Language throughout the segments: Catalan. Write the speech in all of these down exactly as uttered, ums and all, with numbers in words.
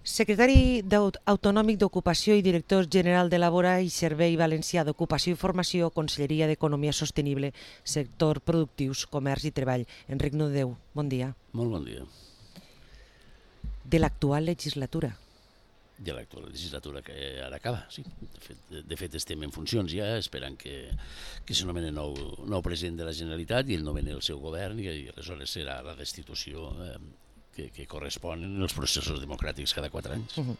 Secretari d'Aut- Autonòmic d'Ocupació i director general de Labora i Servei Valencià d'Ocupació i Formació, Conselleria d'Economia Sostenible, Sector Productius, Comerç i Treball. Enric Nudeu, bon dia. Molt bon dia. De l'actual legislatura. De l'actual legislatura que ara acaba, sí. De fet, de fet estem en funcions ja, esperant que, que s'anomeni nou, nou president de la Generalitat i ell nomeni el seu govern i, i aleshores serà la destitució eh, que, que correspon en els processos democràtics cada quatre anys. Uh -huh.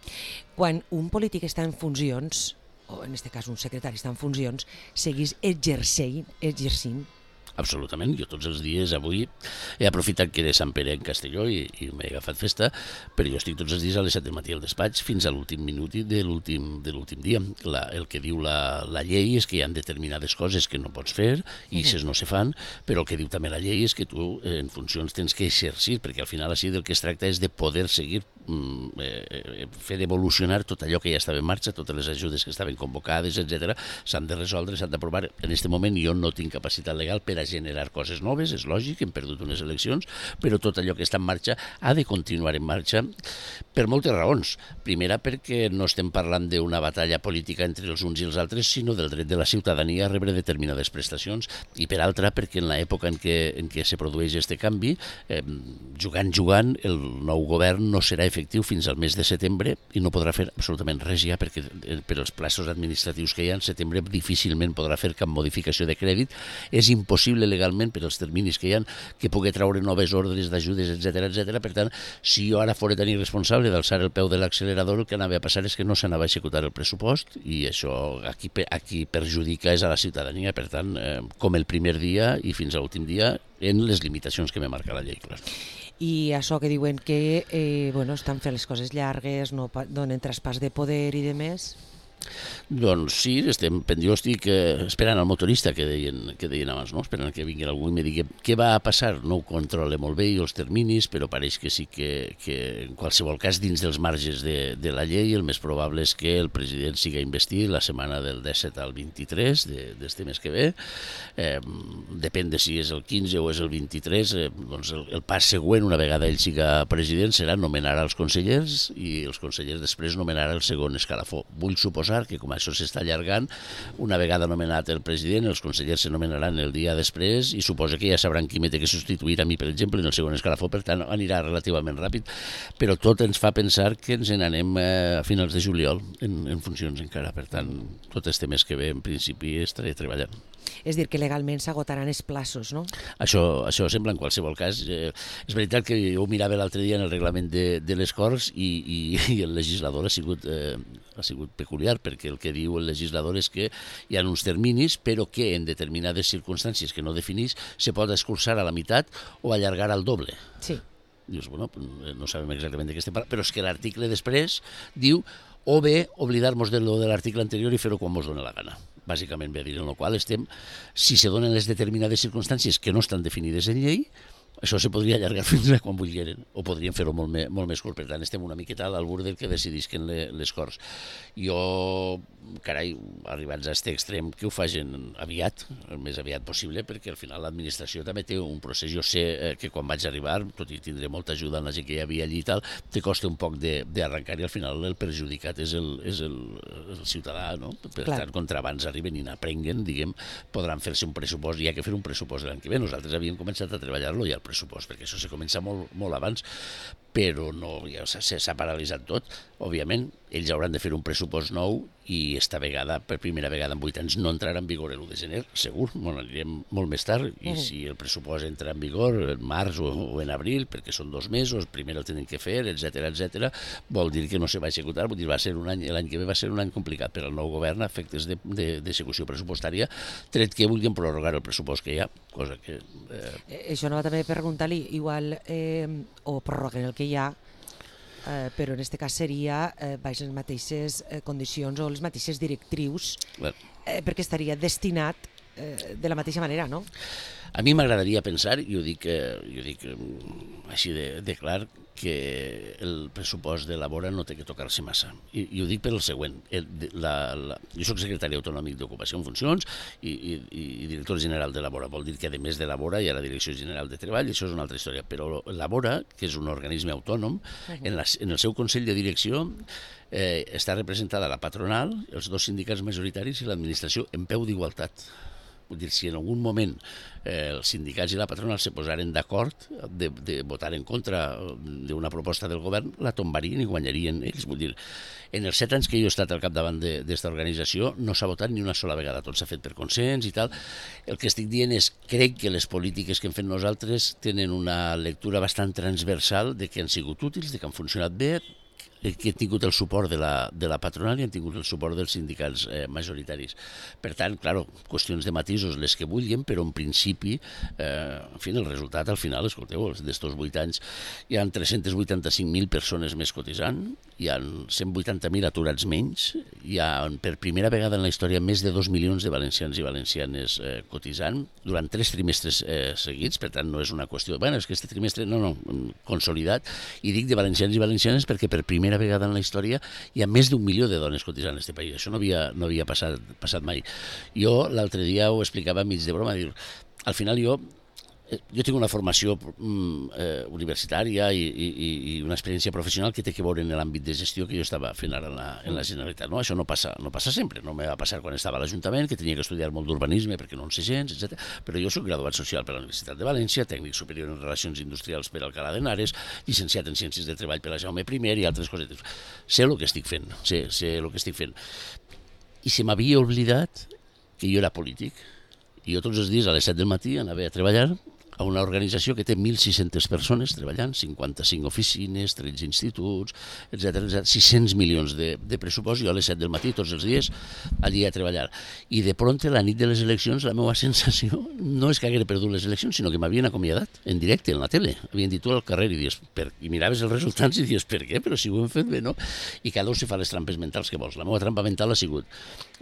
Quan un polític està en funcions, o en aquest cas un secretari està en funcions, seguís exercint, exercint Absolutament, jo tots els dies avui he aprofitat que era Sant Pere en Castelló i, i m'he agafat festa, però jo estic tots els dies a les set del matí al despatx fins a l'últim minut de l'últim de l'últim dia. La, el que diu la, la llei és que hi ha determinades coses que no pots fer i aquestes no se fan, però el que diu també la llei és que tu en funcions tens que exercir, perquè al final així del que es tracta és de poder seguir eh, fer evolucionar tot allò que ja estava en marxa, totes les ajudes que estaven convocades, etcètera, s'han de resoldre, s'han d'aprovar. En aquest moment jo no tinc capacitat legal per a generar coses noves, és lògic, hem perdut unes eleccions, però tot allò que està en marxa ha de continuar en marxa per moltes raons. Primera, perquè no estem parlant d'una batalla política entre els uns i els altres, sinó del dret de la ciutadania a rebre determinades prestacions, i per altra, perquè en l'època en què, en què se produeix aquest canvi, eh, jugant, jugant, el nou govern no serà efectiu fins al mes de setembre i no podrà fer absolutament res ja, perquè per els plaços administratius que hi ha, en setembre difícilment podrà fer cap modificació de crèdit. És impossible legalment per als terminis que hi ha que pugui treure noves ordres d'ajudes, etcètera, etcètera. Per tant, si jo ara fora tan irresponsable d'alçar el peu de l'accelerador, el que anava a passar és que no s'anava a executar el pressupost i això a qui, a qui perjudica és a la ciutadania. Per tant, eh, com el primer dia i fins a l'últim dia, en les limitacions que me marca la llei, clar. I això que diuen que eh, bueno, estan fent les coses llargues, no donen traspàs de poder i de més. Doncs sí, estem, jo estic eh, esperant el motorista que deien, que deien abans, no? Esperant que vingui algú i me digui què va a passar. No ho controle molt bé i els terminis, però pareix que sí que, que en qualsevol cas dins dels marges de, de la llei el més probable és que el president siga investit la setmana del disset al vint-i-tres d'este mes que ve. Eh, depèn de si és el quinze o és el vint-i-tres, eh, doncs el, el pas següent, una vegada ell siga president, serà nomenar els consellers i els consellers després nomenar el segon escalafó. Vull suposar que com això s'està allargant, una vegada nomenat el president, els consellers se nomenaran el dia després i suposa que ja sabran qui m'he de substituir a mi, per exemple, en el segon escalafó, per tant anirà relativament ràpid, però tot ens fa pensar que ens n'anem a finals de juliol en, en funcions encara, per tant tot este mes que ve en principi estaré treballant. És dir, que legalment s'agotaran els plaços, no? Això, això sembla en qualsevol cas. Eh, és veritat que jo ho mirava l'altre dia en el reglament de, de les Corts i, i, i el legislador ha sigut, eh, ha sigut peculiar, perquè el que diu el legislador és que hi ha uns terminis, però que en determinades circumstàncies que no definís se pot escurçar a la meitat o allargar al doble. Sí. Dius, bueno, no sabem exactament de què estem parlant, però és que l'article després diu o bé oblidar-nos de lo de l'article anterior i fer-ho quan mos dona la gana. Bàsicament ve a dir en el qual estem, si se donen les determinades circumstàncies que no estan definides en llei, això se podria allargar fins a quan vulgueren, o podrien fer-ho molt, me, molt més curt. Per tant, estem una miqueta a l'albur del que decidisquen le, les Corts. Jo, carai, arribats a aquest extrem, que ho facin aviat, el més aviat possible, perquè al final l'administració també té un procés. Jo sé eh, que quan vaig arribar, tot i tindré molta ajuda en la gent que hi havia allí i tal, te costa un poc d'arrencar i al final el perjudicat és el, és el, el ciutadà, no? Per Clar. tant, contra abans arriben i n'aprenguen, diguem, podran fer-se un pressupost, hi ha que fer un pressupost l'any que ve. Nosaltres havíem començat a treballar-lo ja al pressupost, perquè això se comença molt, molt abans, però no, ja s'ha paralitzat tot. Òbviament, ells hauran de fer un pressupost nou i esta vegada, per primera vegada en vuit anys, no entrarà en vigor l'u de gener, segur, bueno, anirem molt més tard, i mm. si el pressupost entra en vigor en març o, o en abril, perquè són dos mesos, primer el tenen que fer, etcètera, etcètera, vol dir que no se va executar, vol dir va ser un any, l'any que ve va ser un any complicat per al nou govern a efectes d'execució de, de, pressupostària, tret que vulguin prorrogar el pressupost que hi ha, cosa que... Eh... Eh, això no va també preguntar-li, igual, eh, o prorroguen el que hi ha, Eh, però en aquest cas seria eh, baix les mateixes eh, condicions o les mateixes directrius, eh, perquè estaria destinat eh, de la mateixa manera, no? A mi m'agradaria pensar, i ho dic, eh, jo dic eh, així de, de clar, que el pressupost de Labora no té que tocar-se massa. I, i ho dic per el següent. El, la, la, jo soc secretari autonòmic d'Ocupació en funcions i, i, i director general de Labora. Vol dir que, a més de Labora, hi ha la Direcció General de Treball, i això és una altra història. Però Labora, que és un organisme autònom, en, la, en el seu Consell de Direcció eh, està representada la patronal, els dos sindicats majoritaris i l'administració en peu d'igualtat. Vull dir, si en algun moment eh, els sindicats i la patronal se posaren d'acord de, de votar en contra d'una proposta del govern, la tombarien i guanyarien ells. Vull dir, en els set anys que jo he estat al capdavant d'esta organització no s'ha votat ni una sola vegada, tot s'ha fet per consens i tal. El que estic dient és, crec que les polítiques que hem fet nosaltres tenen una lectura bastant transversal de que han sigut útils, de que han funcionat bé, que han tingut el suport de la, de la patronal i han tingut el suport dels sindicats eh, majoritaris. Per tant, clar, qüestions de matisos les que vulguin, però en principi, eh, en fi, el resultat al final, escolteu, d'estos vuit anys hi ha tres-cents vuitanta-cinc mil persones més cotitzant, hi ha cent vuitanta mil aturats menys, hi ha per primera vegada en la història més de dos milions de valencians i valencianes eh, cotitzant durant tres trimestres eh, seguits, per tant no és una qüestió, bueno, és que este trimestre no, no, consolidat, i dic de valencians i valencianes perquè per primera vegada en la història hi ha més d'un milió de dones cotitzant en aquest país. Això no havia, no havia passat, passat mai. Jo l'altre dia ho explicava mig de broma, dir, al final jo jo tinc una formació mm, eh, universitària i, i, i una experiència professional que té que veure en l'àmbit de gestió que jo estava fent ara en la, en la Generalitat. No? Això no passa, no passa sempre, no me va passar quan estava a l'Ajuntament, que tenia que estudiar molt d'urbanisme perquè no en sé gens, etcètera. Però jo soc graduat social per la Universitat de València, tècnic superior en Relacions Industrials per Alcalá de Henares, llicenciat en Ciències de Treball per la Jaume I i altres cosetes. Sé el que estic fent, sé, sé el que estic fent. I se m'havia oblidat que jo era polític. I jo tots els dies a les set del matí anava a treballar a una organització que té mil sis-centes persones treballant, cinquanta-cinc oficines, tretze instituts, etcètera, sis-cents milions de, de pressupost, jo a les set del matí tots els dies allí a treballar. I de prompte, la nit de les eleccions, la meva sensació no és que hagués perdut les eleccions, sinó que m'havien acomiadat en directe, en la tele. Havien dit tu al carrer i, dius, per... i miraves els resultats i dius, per què? Però si ho hem fet bé, no? I cada un se fa les trampes mentals que vols. La meva trampa mental ha sigut,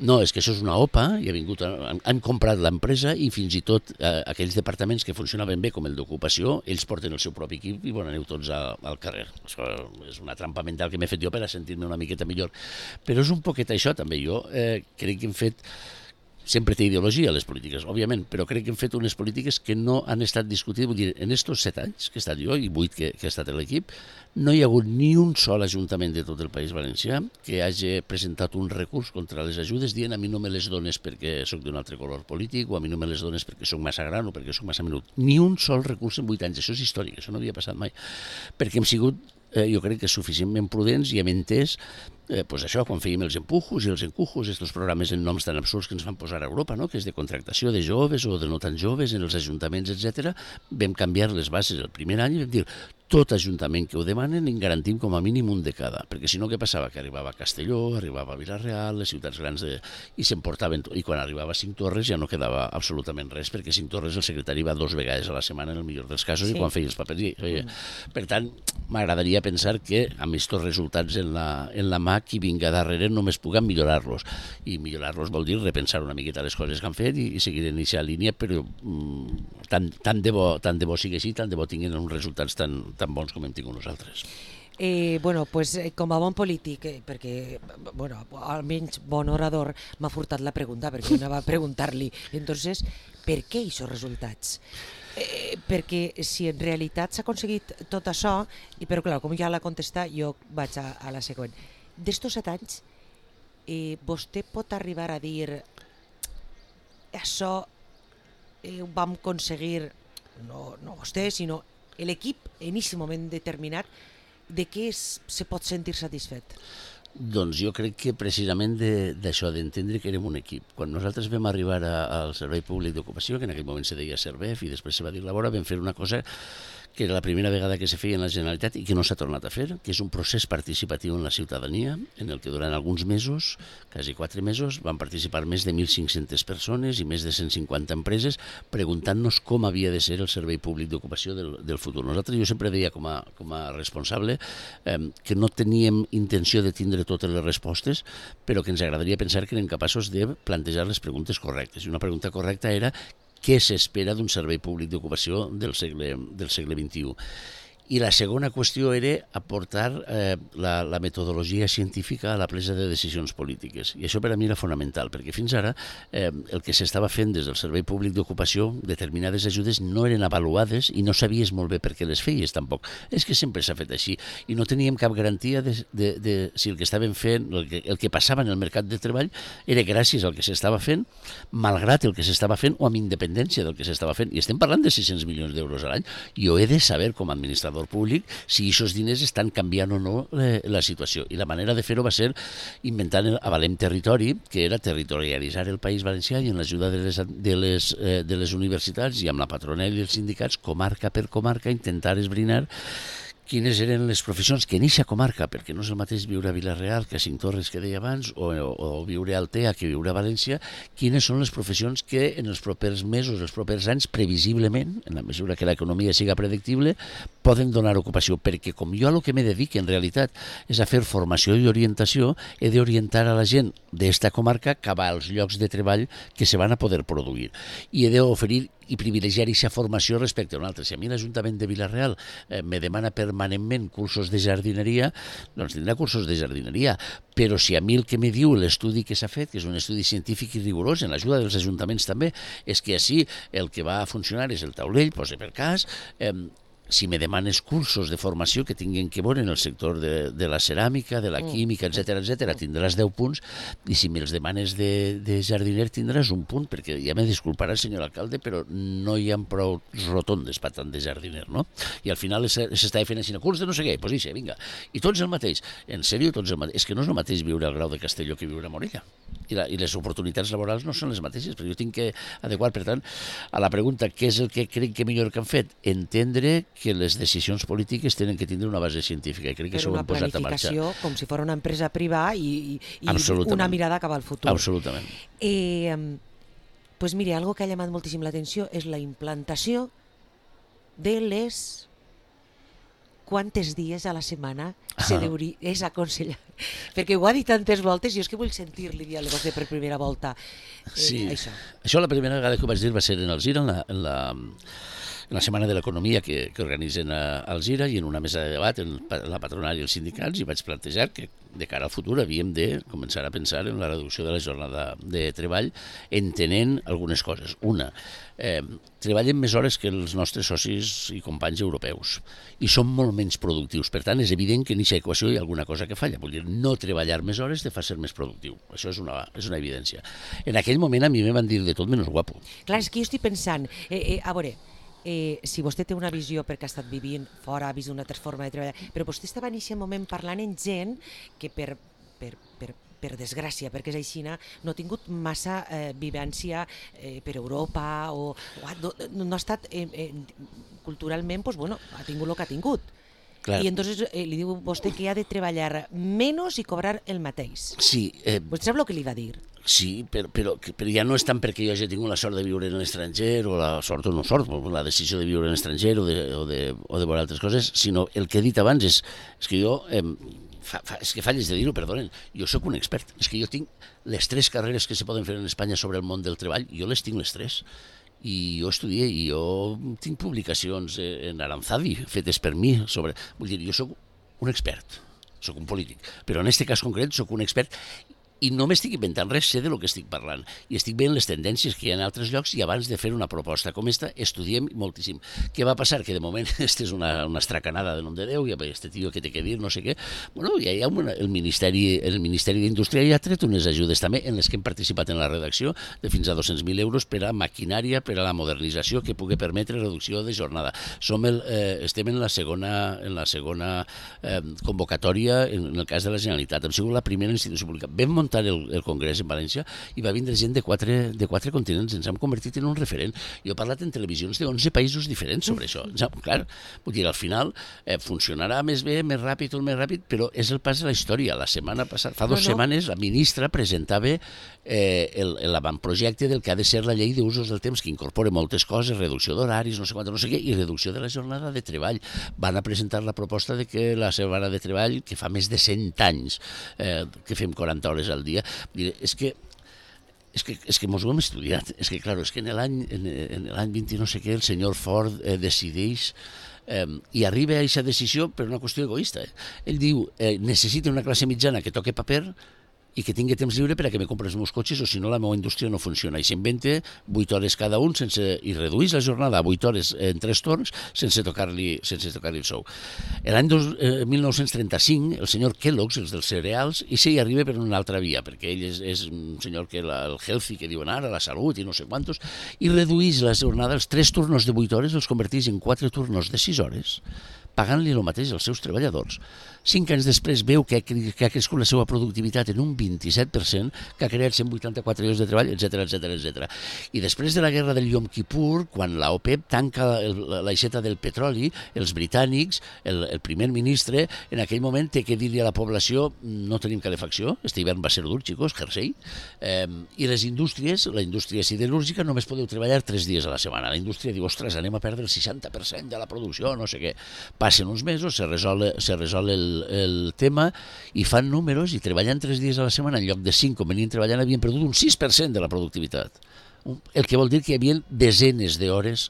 no, és que això és una O P A, i ha vingut a... han, han comprat l'empresa i fins i tot eh, aquells departaments que funcionen ben bé com el d'ocupació, ells porten el seu propi equip i bon, aneu tots a, al carrer. Això és una trampa mental que m'he fet jo per a sentir-me una miqueta millor. Però és un poquet això també. Jo eh, crec que hem fet... Sempre té ideologia les polítiques, òbviament, però crec que hem fet unes polítiques que no han estat discutides. Vull dir, en estos set anys que he estat jo i vuit que, que he estat a l'equip, no hi ha hagut ni un sol ajuntament de tot el País Valencià que hagi presentat un recurs contra les ajudes dient a mi no me les dones perquè sóc d'un altre color polític o a mi no me les dones perquè sóc massa gran o perquè sóc massa menut. Ni un sol recurs en vuit anys. Això és històric, això no havia passat mai. Perquè hem sigut, eh, jo crec que suficientment prudents i hem entès Eh, pues això, quan fèiem els empujos i els encujos, aquests programes en noms tan absurds que ens van posar a Europa, no? Que és de contractació de joves o de no tan joves en els ajuntaments, etcètera, vam canviar les bases el primer any i vam dir tot ajuntament que ho demanen en garantim com a mínim un de cada, perquè si no què passava? Que arribava a Castelló, arribava a Vila-real, les ciutats grans, de... i s'emportaven, i quan arribava a Cinc Torres ja no quedava absolutament res, perquè a Cinc Torres el secretari va dos vegades a la setmana en el millor dels casos, sí. I quan feia els papers i feia. Mm. Per tant, m'agradaria pensar que amb aquests resultats en la, en la mà qui vinga darrere només puguem millorar-los, i millorar-los vol dir repensar una miqueta les coses que han fet i, i seguir en aquesta línia, però mm, tant, tant, de bo, tant de bo sigui així, tant de bo tinguin uns resultats tan, tan bons com hem tingut nosaltres. Eh, bueno, pues, com a bon polític, eh, perquè, bueno, almenys bon orador, m'ha furtat la pregunta, perquè jo anava a preguntar-li, entonces, per què aquests resultats? Eh, perquè si en realitat s'ha aconseguit tot això, i però clar, com ja l'ha contestat, jo vaig a, a la següent. D'estos set anys, eh, vostè pot arribar a dir això eh, ho vam aconseguir, no, no vostè, sinó l'equip en aquest moment determinat, de què es, se pot sentir satisfet? Doncs jo crec que precisament d'això, de, d'entendre que érem un equip. Quan nosaltres vam arribar a, al Servei Públic d'Ocupació, que en aquell moment se deia Servef i després se va dir Labora, vam fer una cosa que era la primera vegada que se feia en la Generalitat i que no s'ha tornat a fer, que és un procés participatiu en la ciutadania, en el que durant alguns mesos, quasi quatre mesos, van participar més de mil cinc-centes persones i més de cent cinquanta empreses preguntant-nos com havia de ser el servei públic d'ocupació del, del futur. Nosaltres, jo sempre deia com a, com a responsable eh, que no teníem intenció de tindre totes les respostes, però que ens agradaria pensar que érem capaços de plantejar les preguntes correctes. I una pregunta correcta era què s'espera d'un servei públic d'ocupació del segle, del segle vint-i-u. I la segona qüestió era aportar eh, la, la metodologia científica a la presa de decisions polítiques. I això per a mi era fonamental, perquè fins ara eh, el que s'estava fent des del Servei Públic d'Ocupació, determinades ajudes no eren avaluades i no sabies molt bé per què les feies tampoc. És que sempre s'ha fet així i no teníem cap garantia de, de, de si el que estaven fent, el que, el que passava en el mercat de treball era gràcies al que s'estava fent, malgrat el que s'estava fent o amb independència del que s'estava fent. I estem parlant de sis-cents milions d'euros a l'any. Jo he de saber com a administrador públic si aquests diners estan canviant o no eh, la situació. I la manera de fer-ho va ser inventant el Avalem Territori, que era territorialitzar el País Valencià i en l'ajuda de les, de, les, eh, de les universitats i amb la patronal i els sindicats, comarca per comarca, intentar esbrinar quines eren les professions que en eixa comarca, perquè no és el mateix viure a Vila-real que a Cinctorres que deia abans, o, o, o viure a Altea que viure a València, quines són les professions que en els propers mesos, els propers anys, previsiblement, en la mesura que l'economia siga predictible, poden donar ocupació, perquè com jo a lo que me dedico en realitat és a fer formació i orientació, he d'orientar a la gent d'esta comarca cap als llocs de treball que se van a poder produir. I he d'oferir i privilegiar aquesta formació respecte a una altra. Si a mi l'Ajuntament de Vila-real eh, me demana permanentment cursos de jardineria, doncs tindrà cursos de jardineria. Però si a mi el que me diu l'estudi que s'ha fet, que és un estudi científic i rigorós, en l'ajuda dels ajuntaments també, és que així el que va a funcionar és el taulell, posa per cas, eh, si me demanes cursos de formació que tinguin que veure en el sector de, de la ceràmica, de la química, etcètera, etcètera, tindràs deu punts, i si me'ls demanes de, de jardiner tindràs un punt, perquè ja me disculparà, senyor alcalde, però no hi ha prou rotondes per tant de jardiner, no? I al final s'estava fent així, curs de no sé què, doncs ixe, vinga. I tots el mateix, en sèrio, tots el mateix. És que no és el mateix viure al Grau de Castelló que viure a Morella. I, la, i les oportunitats laborals no són les mateixes, però jo tinc que adequar, per tant, a la pregunta què és el que crec que millor que han fet, entendre que les decisions polítiques tenen que tindre una base científica, i crec que això ho hem posat a marxa. Però una planificació com si fos una empresa privada i, i, i una mirada cap al futur. Absolutament. Eh, pues mire, algo que ha llamat moltíssim l'atenció és la implantació de les... quantes dies a la setmana se deuria, és aconsellar. Perquè ho ha dit tantes voltes i jo és que vull sentir-li dir a vostè per primera volta eh, sí. això. Això la primera vegada que ho vaig dir va ser en Alzira, en la, en la, en la Setmana de l'Economia que, que organitzen a Alzira, i en una mesa de debat en la patronal i els sindicats, i vaig plantejar que de cara al futur havíem de començar a pensar en la reducció de la jornada de treball, entenent algunes coses. Una, eh, treballen més hores que els nostres socis i companys europeus i són molt menys productius. Per tant, és evident que en aquesta equació hi ha alguna cosa que falla. Vull dir, no treballar més hores te fa ser més productiu. Això és una, és una evidència. En aquell moment a mi me van dir de tot menys guapo. Clar, és que jo estic pensant, eh, eh, a veure, Eh, si vostè té una visió perquè ha estat vivint fora, ha vist una altra forma de treballar, però vostè estava en aquest moment parlant amb gent que per, per, per, per desgràcia, perquè és així, no ha tingut massa eh, vivència eh, per Europa o, o ha, no, no ha estat eh, eh, culturalment, pues, bueno, ha tingut el que ha tingut. Clar. I entonces eh, li diu vostè que ha de treballar menys i cobrar el mateix. Sí. Eh... Vostè sap el que li va dir? Sí, però, però, però ja no és tant perquè jo hagi tingut la sort de viure en l'estranger, o la sort o no sort, la decisió de viure en l'estranger o de, o de, o de veure altres coses, sinó el que he dit abans és, és que jo, eh, fa, fa, és que falles de dir-ho, perdonen, jo sóc un expert, és que jo tinc les tres carreres que se poden fer en Espanya sobre el món del treball, jo les tinc les tres. I jo estudié, i jo tinc publicacions en Aranzadi fetes per mi sobre... Vull dir, jo sóc un expert, sóc un polític, però en aquest cas concret sóc un expert i no m'estic inventant res, sé de lo que estic parlant i estic veient les tendències que hi ha en altres llocs, i abans de fer una proposta com esta estudiem moltíssim. Què va passar? Que de moment esta és una, una estracanada de nom de Déu, i este tio que té que dir, no sé què. Bueno, ja hi ha una, el Ministeri el Ministeri d'Indústria ja ha tret unes ajudes també en les que hem participat en la redacció de fins a dos-cents mil euros per a maquinària, per a la modernització que pugui permetre reducció de jornada. Som el, eh, estem en la segona, en la segona eh, convocatòria en el cas de la Generalitat. Hem sigut la primera institució pública. Vam muntar muntar el, el congrés en València i va vindre gent de quatre, de quatre continents, ens hem convertit en un referent. Jo he parlat en televisions de onze països diferents sobre això. Ja, clar, vull dir, al final eh, funcionarà més bé, més ràpid o més ràpid, però és el pas de la història. La setmana passada, fa dues no, no. setmanes, la ministra presentava eh, l'avantprojecte del que ha de ser la llei d'usos del temps, que incorpora moltes coses, reducció d'horaris, no sé quant, no sé què, i reducció de la jornada de treball. Van a presentar la proposta de que la setmana de treball, que fa més de cent anys eh, que fem quaranta hores al dia, és que és que, és que mos ho hem estudiat. És que, clar, és que en l'any en, en l'any vint no sé què, el senyor Ford eh, decideix eh, i arriba a aquesta decisió per una qüestió egoista. Eh? Ell diu, eh, necessita una classe mitjana que toque paper i que tingui temps lliure per a que me compri els meus cotxes o si no la meva indústria no funciona. I s'inventa vuit hores cada un sense, i redueix la jornada a vuit hores en tres torns sense tocar-li sense tocar-li el sou. L'any eh, mil nou-cents trenta-cinc el senyor Kellogg's, els dels cereals, i s'hi arriba per una altra via, perquè ell és, és un senyor que la, el healthy que diuen ara, la salut i no sé quantos, i redueix la jornada, els tres turnos de vuit hores els converteix en quatre turnos de sis hores, pagant-li el mateix als seus treballadors. Cinc anys després veu que ha, que ha crescut la seva productivitat en un vint-i-set per cent, que ha creat cent vuitanta-quatre llocs de treball, etcètera, etcètera, etcètera. I després de la guerra del Yom Kippur, quan la OPEP tanca el, l'aixeta del petroli, els britànics, el, el primer ministre, en aquell moment té que dir-li a la població no tenim calefacció, este hivern va ser dur, xicos, jersei, eh, i les indústries, la indústria siderúrgica, només podeu treballar tres dies a la setmana. La indústria diu, ostres, anem a perdre el seixanta per cent de la producció, no sé què. Passen uns mesos, se resol, se resol el, el tema i fan números i treballant tres dies a la setmana en lloc de cinc com venien treballant havien perdut un sis per cent de la productivitat. El que vol dir que hi havia desenes d'hores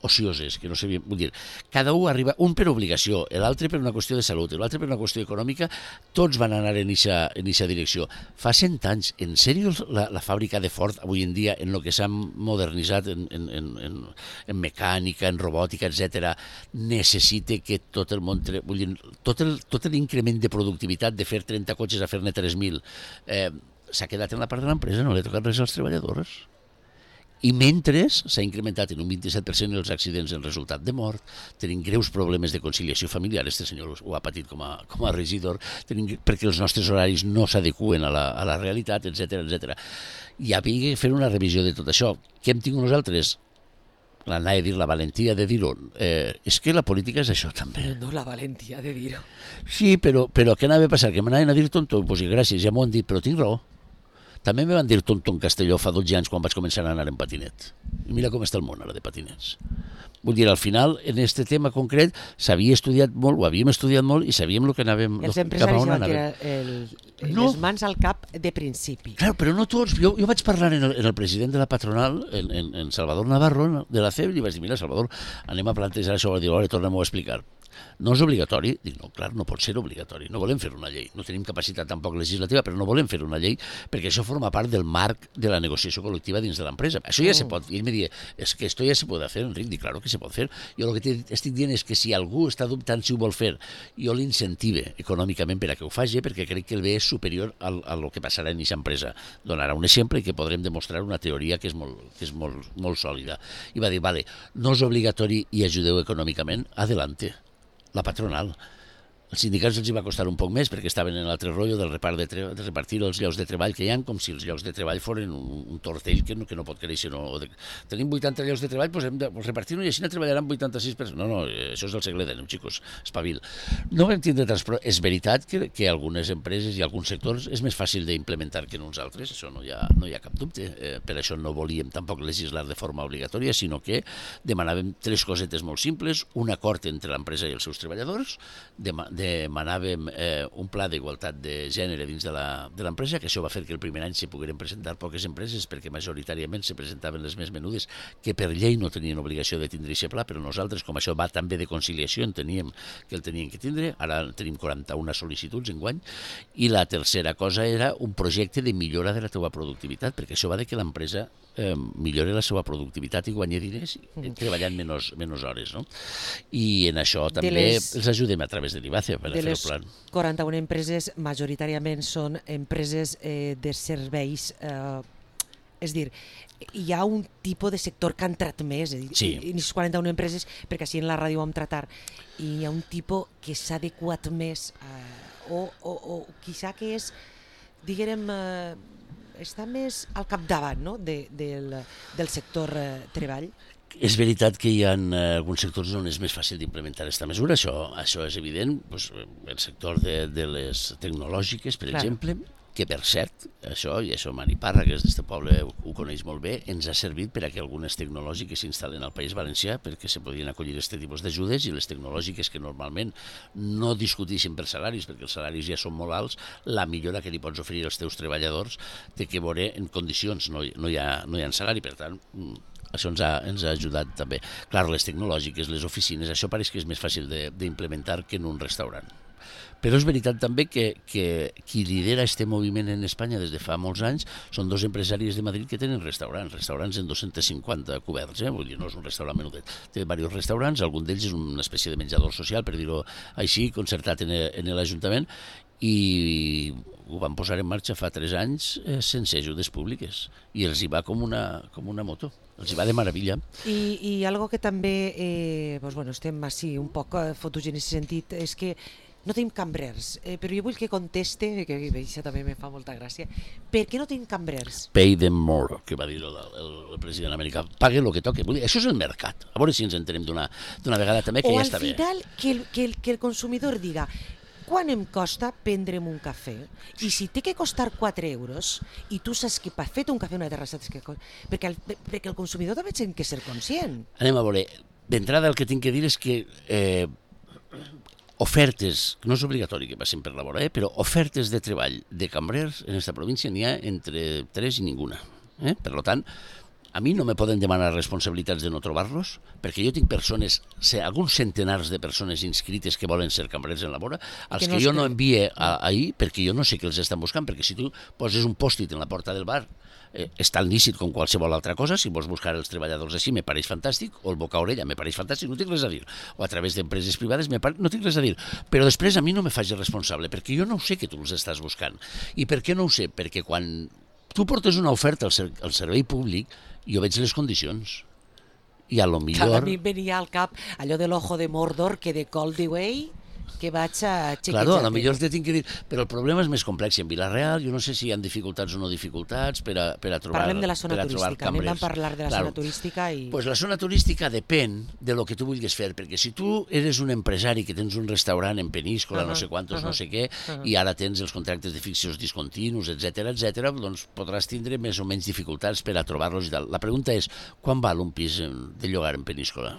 ocioses, que no sabien, vull dir, cada un arriba, un per obligació, l'altre per una qüestió de salut, l'altre per una qüestió econòmica, tots van anar en aquesta direcció. Fa cent anys, en sèrio, la, la fàbrica de Ford, avui en dia, en el que s'ha modernitzat en, en, en, en, en mecànica, en robòtica, etcètera, necessita que tot el món, vull dir, tot, el, tot l'increment de productivitat de fer trenta cotxes a fer-ne tres mil, eh, s'ha quedat en la part de l'empresa, no li ha tocat res als treballadors. I mentre s'ha incrementat en un vint-i-set per cent els accidents en resultat de mort, tenim greus problemes de conciliació familiar, este senyor ho ha patit com a, com a regidor, tenim, perquè els nostres horaris no s'adequen a la, a la realitat, etcètera, etcètera. I havia de fer una revisió de tot això. Què hem tingut nosaltres? L'anava a dir, la valentia de dir-ho. Eh, és que la política és això també. No, la valentia de dir-ho. Sí, però, però què anava a passar? Que m'anaven a dir tonto? Doncs gràcies, ja m'ho han dit, però tinc raó. També me van dir tonto en Castelló fa dotze anys quan vaig començar a anar en patinet. I mira com està el món ara de patinets. Vull dir, al final, en aquest tema concret, s'havia estudiat molt, ho havíem estudiat molt i sabíem el que anàvem... Els empresaris van tirar el, no. les mans al cap de principi. Clar, però no tots. Jo, jo vaig parlar en el, en el president de la patronal, en, en, en Salvador Navarro, de la C E B, i vaig dir, mira, Salvador, anem a plantejar això, i dir, ara tornem-ho a explicar. No és obligatori? Dic, no, clar, no pot ser obligatori. No volem fer una llei. No tenim capacitat tampoc legislativa, però no volem fer una llei perquè això forma part del marc de la negociació col·lectiva dins de l'empresa. Això ja oh. se pot. I ell me deia, és que esto ja se pot fer, Enric. Dic, claro que se pot fer. Jo el que estic dient és que si algú està dubtant si ho vol fer, jo l'incentive econòmicament per a que ho faci, perquè crec que el bé és superior al, a lo que passarà en aquesta empresa. Donarà un exemple i que podrem demostrar una teoria que és molt, que és molt, molt sòlida. I va dir, vale, no és obligatori i ajudeu econòmicament, adelante. La patronal. Els sindicats els hi va costar un poc més perquè estaven en l'altre rotllo del repart de, tre de repartir els llocs de treball que hi ha, com si els llocs de treball foren un, un tortell que no, que no pot créixer. No. De... Tenim vuitanta llocs de treball, doncs hem de repartir-ho i així no treballaran vuitanta-sis per cent. No, no, això és del segle deu, xicos, espavil. No vam tindre tants, però és veritat que, que algunes empreses i alguns sectors és més fàcil d'implementar que en uns altres, això no hi ha, no hi ha cap dubte. Eh, per això no volíem tampoc legislar de forma obligatòria, sinó que demanàvem tres cosetes molt simples, un acord entre l'empresa i els seus treballadors, dema demanàvem eh, un pla d'igualtat de gènere dins de l'empresa, que això va fer que el primer any se pogueren presentar poques empreses perquè majoritàriament se presentaven les més menudes que per llei no tenien obligació de tindre aquest pla, però nosaltres, com això va també de conciliació, enteníem que el tenien que tindre. Ara tenim quaranta-una sol·licituds enguany. I la tercera cosa era un projecte de millora de la teva productivitat, perquè això va de que l'empresa eh, millori la seva productivitat i guanyi diners eh, treballant menys, menys hores, no? I en això també les, els ajudem a través de l'I B A C E per a fer el plan. De les quaranta-una empreses, majoritàriament són empreses eh, de serveis, eh, és dir, hi ha un tipus de sector que ha entrat més, és dir, sí. I les quaranta-una empreses, perquè així en la ràdio ho vam tratar, i hi ha un tipus que s'ha adequat més, eh, o, o, o quizà que és diguem, eh, està més al capdavant, no?, de, del, del sector eh, treball. És veritat que hi ha eh, alguns sectors on és més fàcil d'implementar aquesta mesura, això, això és evident. Pues, el sector de, de les tecnològiques, per Clar. exemple, que per cert, això, i això Mani Parra, que és d'este poble, ho, ho coneix molt bé, ens ha servit per a que algunes tecnològiques s'instal·len al País Valencià perquè se podien acollir aquest tipus d'ajudes, i les tecnològiques que normalment no discuteixen per salaris, perquè els salaris ja són molt alts, la millora que li pots oferir als teus treballadors té que veure en condicions, no, no, hi ha, no hi ha salari, per tant, això ens ha, ens ha ajudat també. Clar, les tecnològiques, les oficines, això pareix que és més fàcil d'implementar que en un restaurant. Però és veritat també que, que qui lidera aquest moviment en Espanya des de fa molts anys són dos empresaris de Madrid que tenen restaurants, restaurants en dos-cents cinquanta coberts, eh? Vull dir, no és un restaurant menudet. Té diversos restaurants, algun d'ells és una espècie de menjador social, per dir-ho així, concertat en, en l'Ajuntament, i ho van posar en marxa fa tres anys eh, sense ajudes públiques, i els hi va com una, com una moto. Els hi va de meravella. I, i algo que també, eh, doncs, bueno, estem així un poc fotos en aquest sentit, és que no tenim cambrers, eh, però jo vull que conteste, que això també me fa molta gràcia, per què no tenim cambrers? Pay them more, que va dir el, el, el president americà. Pague el que toque. Vull dir, això és el mercat. A veure si ens entenem d'una vegada també, que o ja està bé. O al final que el, que, el, que el consumidor diga quan em costa prendre'm un cafè, i si té que costar quatre euros i tu saps que per fer un cafè una terrassa que costa, perquè, el, perquè el consumidor també té que ser conscient. Anem a veure, d'entrada el que tinc que dir és que eh, ofertes, no és obligatori que passin per la vora, eh, però ofertes de treball de cambrers en aquesta província n'hi ha entre tres i ninguna. Eh? Per tant, a mi no me poden demanar responsabilitats de no trobar-los, perquè jo tinc persones, alguns centenars de persones inscrites que volen ser cambrers en la vora, als que, no que jo no envie a, ahir perquè jo no sé què els estan buscant, perquè si tu poses un pòstit en la porta del bar, eh, és tan lícit com qualsevol altra cosa. Si vols buscar els treballadors així me pareix fantàstic, o el boca a orella me pareix fantàstic, no tinc res a dir, o a través d'empreses privades me pare... no tinc res a dir, però després a mi no me faig responsable, perquè jo no ho sé que tu els estàs buscant. I per què no ho sé? Perquè quan tu portes una oferta al, ser, al servei públic, jo veig les condicions, i a lo millor... A mi venia al cap allò de l'ojo de Mordor, que de col diu, ei, que vaig a xequejar. Claro, a lo millor te tinc que dir, però el problema és més complex. I en Vila-real jo no sé si hi ha dificultats o no dificultats per a, per a trobar cambrers. Parlem de la zona turística, anem a parlar de la claro. zona turística i... Pues la zona turística depèn de lo que tu vulguis fer, perquè si tu eres un empresari que tens un restaurant en Peníscola, uh -huh, no sé quantos, uh -huh, no sé què, uh -huh. i ara tens els contractes de fixos discontinus, etcètera, etcètera, doncs podràs tindre més o menys dificultats per a trobar-los i tal. La pregunta és, quan val un pis de llogar en Peníscola?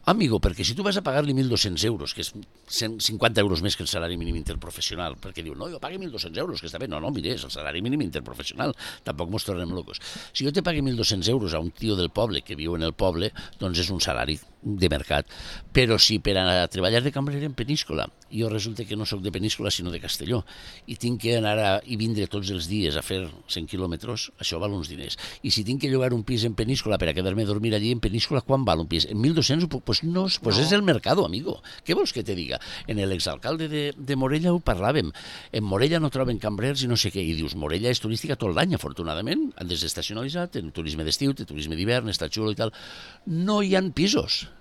Amigo, perquè si tu vas a pagar-li mil dos-cents euros, que és cent cinquanta euros més que el salari mínim interprofessional, perquè diu, no, jo pagui mil dos-cents euros, que està bé, no, no, mire, és el salari mínim interprofessional, tampoc mos tornem locos. Si jo te pagui mil dos-cents euros a un tio del poble que viu en el poble, doncs és un salari de mercat. Però si per a treballar de cambrer en Peníscola, jo resulta que no sóc de Peníscola sinó de Castelló, i tinc que anar a, i vindre tots els dies a fer cent quilòmetres, això val uns diners. I si tinc que llogar un pis en Peníscola per a quedar-me a dormir allí en Peníscola, quan val un pis? En mil dos-cents ho puc... Pues no, pues no. És el mercado, amigo. Què vols que te diga? En l'exalcalde de, de Morella ho parlàvem. En Morella no troben cambrers i no sé què. I dius, Morella és turística tot l'any, afortunadament. Han desestacionalitzat, en turisme d'estiu, té turisme d'hivern, està xulo i tal. No hi ha pisos.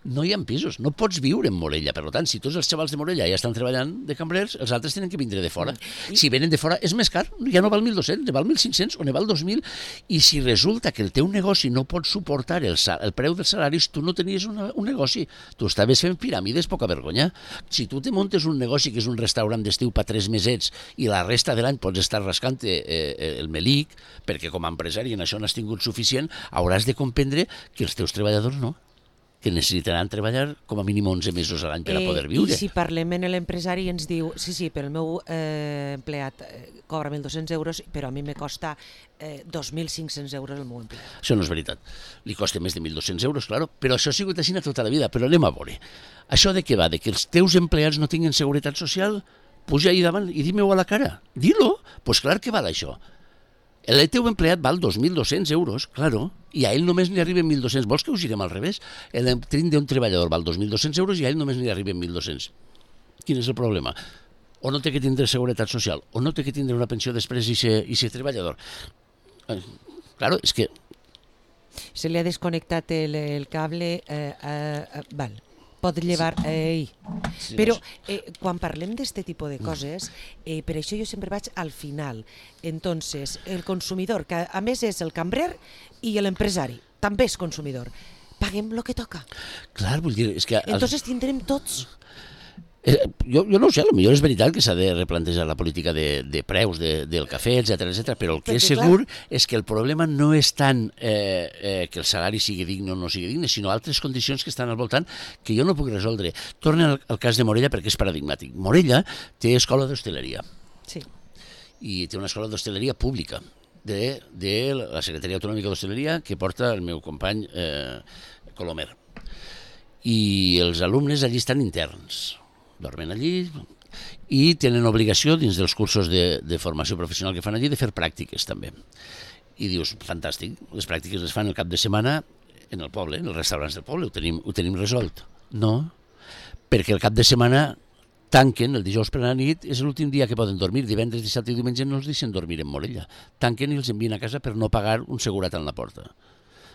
No hi ha pisos, no pots viure en Morella. Per tant, si tots els xavals de Morella ja estan treballant de cambrers, els altres tenen que vindre de fora. Mm. Si venen de fora és més car, ja no val mil dos-cents, ne val mil cinc-cents o ne val dos mil. I si resulta que el teu negoci no pot suportar el, el preu dels salaris, tu no tenies una, un negoci. Tu estaves fent piràmides, poca vergonya. Si tu te muntes un negoci que és un restaurant d'estiu per tres mesets i la resta de l'any pots estar rascant eh, el melic, perquè com a empresari en això n'has tingut suficient, hauràs de comprendre que els teus treballadors no, que necessitaran treballar com a mínim onze mesos a l'any per a poder viure. I si parlem en l'empresari i ens diu, sí, sí, però el meu eh, empleat eh, cobra mil dos-cents euros, però a mi me costa eh, dos mil cinc-cents euros el meu empleat. Això no és veritat. Li costa més de mil dos-cents euros, claro, però això ha sigut així tota la vida. Però anem a veure. Això de què va? De que els teus empleats no tinguin seguretat social? Puja ahí davant i di-me-ho a la cara. Dilo. Doncs pues clar que val això. El teu empleat val dos mil dos-cents euros, claro, i a ell només n'hi arriben mil dos-cents. Vols que ho girem al revés? El trin d'un treballador val dos mil dos-cents euros i a ell només n'hi arriben mil dos-cents. Quin és el problema? O no té que tindre seguretat social, o no té que tindre una pensió després i ser, i ser treballador. Eh, claro, és que... Se li ha desconnectat el, el cable... Eh, eh, val. pot llevar... Ei. Però eh, quan parlem d'este tipus de coses, eh, per això jo sempre vaig al final. Entonces, el consumidor, que a més és el cambrer i l'empresari, també és consumidor, paguem el que toca. Clar, vull dir, és que... Entonces tindrem tots... Eh, jo, jo no ho sé, potser és veritat que s'ha de replantejar la política de, de preus de, del cafè, etcètera, etcètera, però el que és segur és que el problema no és tant eh, eh, que el salari sigui digne o no sigui digne, sinó altres condicions que estan al voltant que jo no puc resoldre. Torna al, al cas de Morella perquè és paradigmàtic. Morella té escola d'hostaleria. Sí. I té una escola d'hostaleria pública de, de la Secretaria Autonòmica d'Hostaleria que porta el meu company eh, Colomer. I els alumnes allí estan interns. Dormen allí i tenen obligació dins dels cursos de, de formació professional que fan allí de fer pràctiques també. I dius, fantàstic, les pràctiques les fan el cap de setmana en el poble, en els restaurants del poble, ho tenim, ho tenim resolt. No, perquè el cap de setmana tanquen, el dijous per la nit, és l'últim dia que poden dormir, divendres, dissabte i diumenge no els deixen dormir en Morella. Tanquen i els envien a casa per no pagar un segurat en la porta.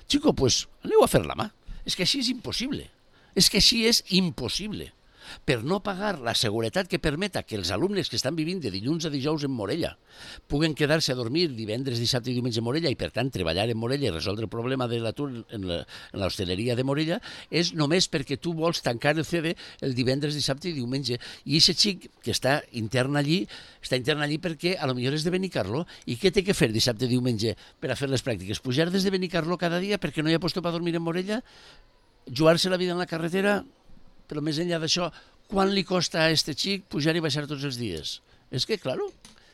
Xico, pues aneu a fer la mà. És que així és impossible. És que així és impossible. Per no pagar la seguretat que permeta que els alumnes que estan vivint de dilluns a dijous en Morella puguen quedar-se a dormir divendres, dissabte i diumenge en Morella i per tant treballar en Morella i resoldre el problema de l'atur en l'hostaleria de Morella és només perquè tu vols tancar el C D el divendres, dissabte i diumenge. I aquest xic que està intern allí, està intern allí perquè a lo millor és de Benicarló i què té que fer dissabte i diumenge per a fer les pràctiques? Pujar des de Benicarló cada dia perquè no hi ha puesto per dormir en Morella? Jugar-se la vida en la carretera? Però més enllà d'això, quan li costa a este xic pujar i baixar tots els dies? És que, claro,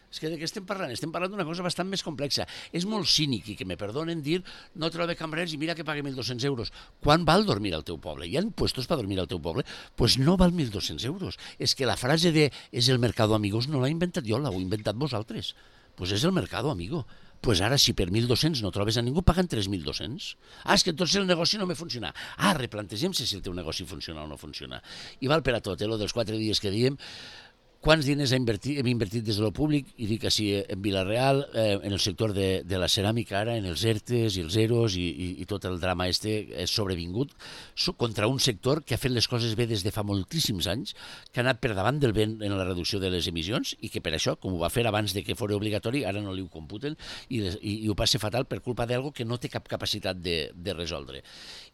és que de què estem parlant? Estem parlant d'una cosa bastant més complexa. És molt cínic i que me perdonen dir no trobo cambrers i mira que pague mil dos-cents euros. Quan val dormir al teu poble? Hi ha puestos per dormir al teu poble? Doncs pues no val mil dos-cents euros. És que la frase de és el mercado amigos no l'ha inventat jo, l'heu inventat vosaltres. Doncs pues és el mercado amigo. Pues ara, si per mil dos-cents no trobes a ningú, paguen tres mil dos-cents. Ah, és que entonces el negoci no me funciona. Ah, replantegem-se si el teu negoci funciona o no funciona. I val per a tot, eh, lo dels quatre dies que diem. Quants diners hem invertit, hem invertit des de lo públic, i dic així en Vila-real, eh, en el sector de, de la ceràmica ara, en els ERTES i els EROs i, i, i tot el drama este és sobrevingut so, contra un sector que ha fet les coses bé des de fa moltíssims anys, que ha anat per davant del vent en la reducció de les emissions i que per això, com ho va fer abans de que fos obligatori, ara no li ho computen i, i, i ho passa fatal per culpa d'algo que no té cap capacitat de, de resoldre.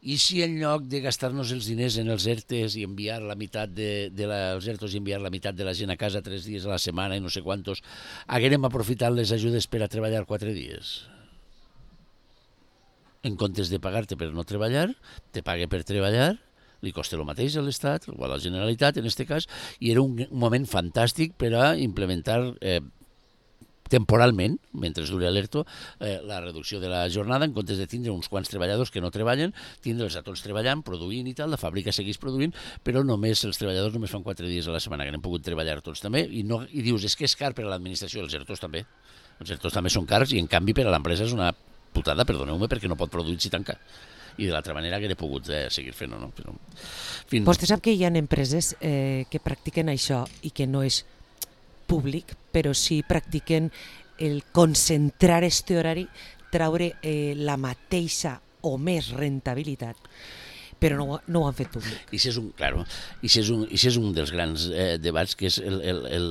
I si en lloc de gastar-nos els diners en els ERTES i enviar la meitat de, de la, els ERTOs i enviar la meitat de la gent a casa tres dies a la setmana i no sé quantos, haguérem aprofitat les ajudes per a treballar quatre dies. En comptes de pagar-te per no treballar, te pague per treballar, li costa el mateix a l'Estat, o a la Generalitat en aquest cas, i era un moment fantàstic per a implementar eh, temporalment, mentre duri l'ERTO, eh, la reducció de la jornada, en comptes de tindre uns quants treballadors que no treballen, tindre'ls a tots treballant, produint i tal, la fàbrica segueix produint, però només els treballadors només fan quatre dies a la setmana, que n'hem pogut treballar tots també, i, no, i dius, és que és car per a l'administració, els ERTOs també. Els ERTOs també són cars i en canvi per a l'empresa és una putada, perdoneu-me, perquè no pot produir si tanca. I de l'altra manera que he pogut eh, seguir fent-ho, no? Però, fin... Vostè sap que hi ha empreses eh, que practiquen això i que no és públic, però sí practiquen el concentrar este horari, traure eh, la mateixa o més rentabilitat, però no, no ho han fet públic. I si és un, claro, i si és un, i si és un dels grans eh, debats, que és el, el, el,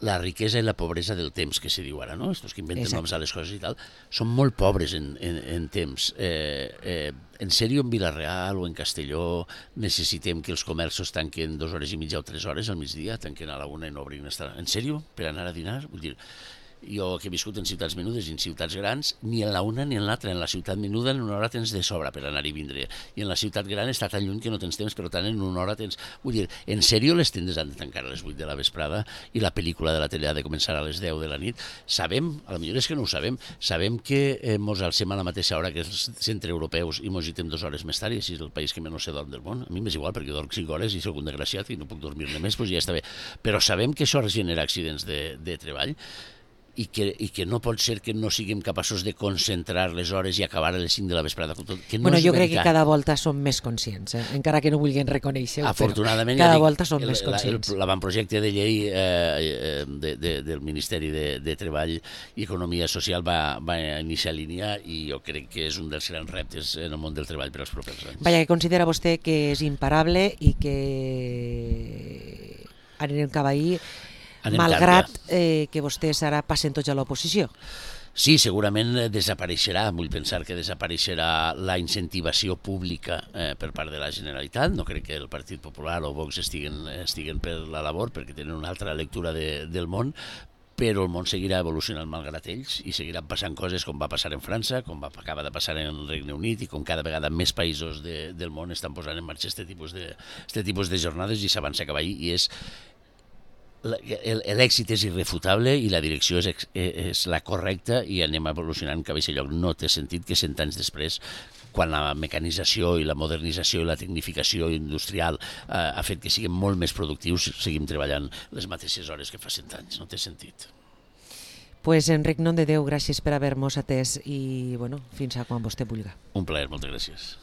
la riquesa i la pobresa del temps, que se diu ara, no? Estos que inventen Exacte. noms a les coses i tal, són molt pobres en, en, en temps. Eh, eh, en sèrio, en Vila-real o en Castelló necessitem que els comerços tanquen dues hores i mitja o tres hores al migdia, tanquen a la una i no obrin hasta... En sèrio? Per anar a dinar? Vull dir, jo que he viscut en ciutats menudes i en ciutats grans, ni en la una ni en l'altra. En la ciutat menuda en una hora tens de sobra per anar i vindre. I en la ciutat gran està tan lluny que no tens temps, però tant en una hora tens... Vull dir, en sèrio les tendes han de tancar a les vuit de la vesprada i la pel·lícula de la tele ha de començar a les deu de la nit. Sabem, a lo millor és que no ho sabem, sabem que eh, mos alcem a la mateixa hora que els centreeuropeus i mos hitem dues hores més tard i així és el país que menys se dorm del món. A mi m'és igual perquè dorm cinc hores i soc un desgraciat i no puc dormir-ne més, doncs ja està bé. Però sabem que això genera accidents de, de treball. i que, i que no pot ser que no siguem capaços de concentrar les hores i acabar a les cinc de la vesprada. Que no bueno, és jo crec veritat. que cada volta som més conscients, eh? encara que no vulguin reconèixer-ho, Afortunadament, cada ja dic, volta som el, més conscients. l'avantprojecte de llei eh, de, de, del Ministeri de, de Treball i Economia Social va, va iniciar línia i jo crec que és un dels grans reptes en el món del treball per als propers anys. Vaja, que considera vostè que és imparable i que anirem cap ahí, Anem malgrat tard, eh, que vostès ara passen tots a l'oposició. Sí, segurament desapareixerà, vull pensar que desapareixerà la incentivació pública eh, per part de la Generalitat. No crec que el Partit Popular o Vox estiguen, estiguen per la labor perquè tenen una altra lectura de, del món, però el món seguirà evolucionant malgrat ells i seguiran passant coses com va passar en França, com va acaba de passar en el Regne Unit i com cada vegada més països de, del món estan posant en marxa aquest tipus de, este tipus de jornades i s'avança cap ahí i és l'èxit és irrefutable i la direcció és, és la correcta i anem evolucionant cap a aquest lloc. No té sentit que cent anys després, quan la mecanització i la modernització i la tecnificació industrial eh, ha fet que siguem molt més productius, seguim treballant les mateixes hores que fa cent anys. No té sentit. Pues Enric, nom de Déu, gràcies per haver-nos atès i bueno, fins a quan vostè vulgui. Un plaer, moltes gràcies.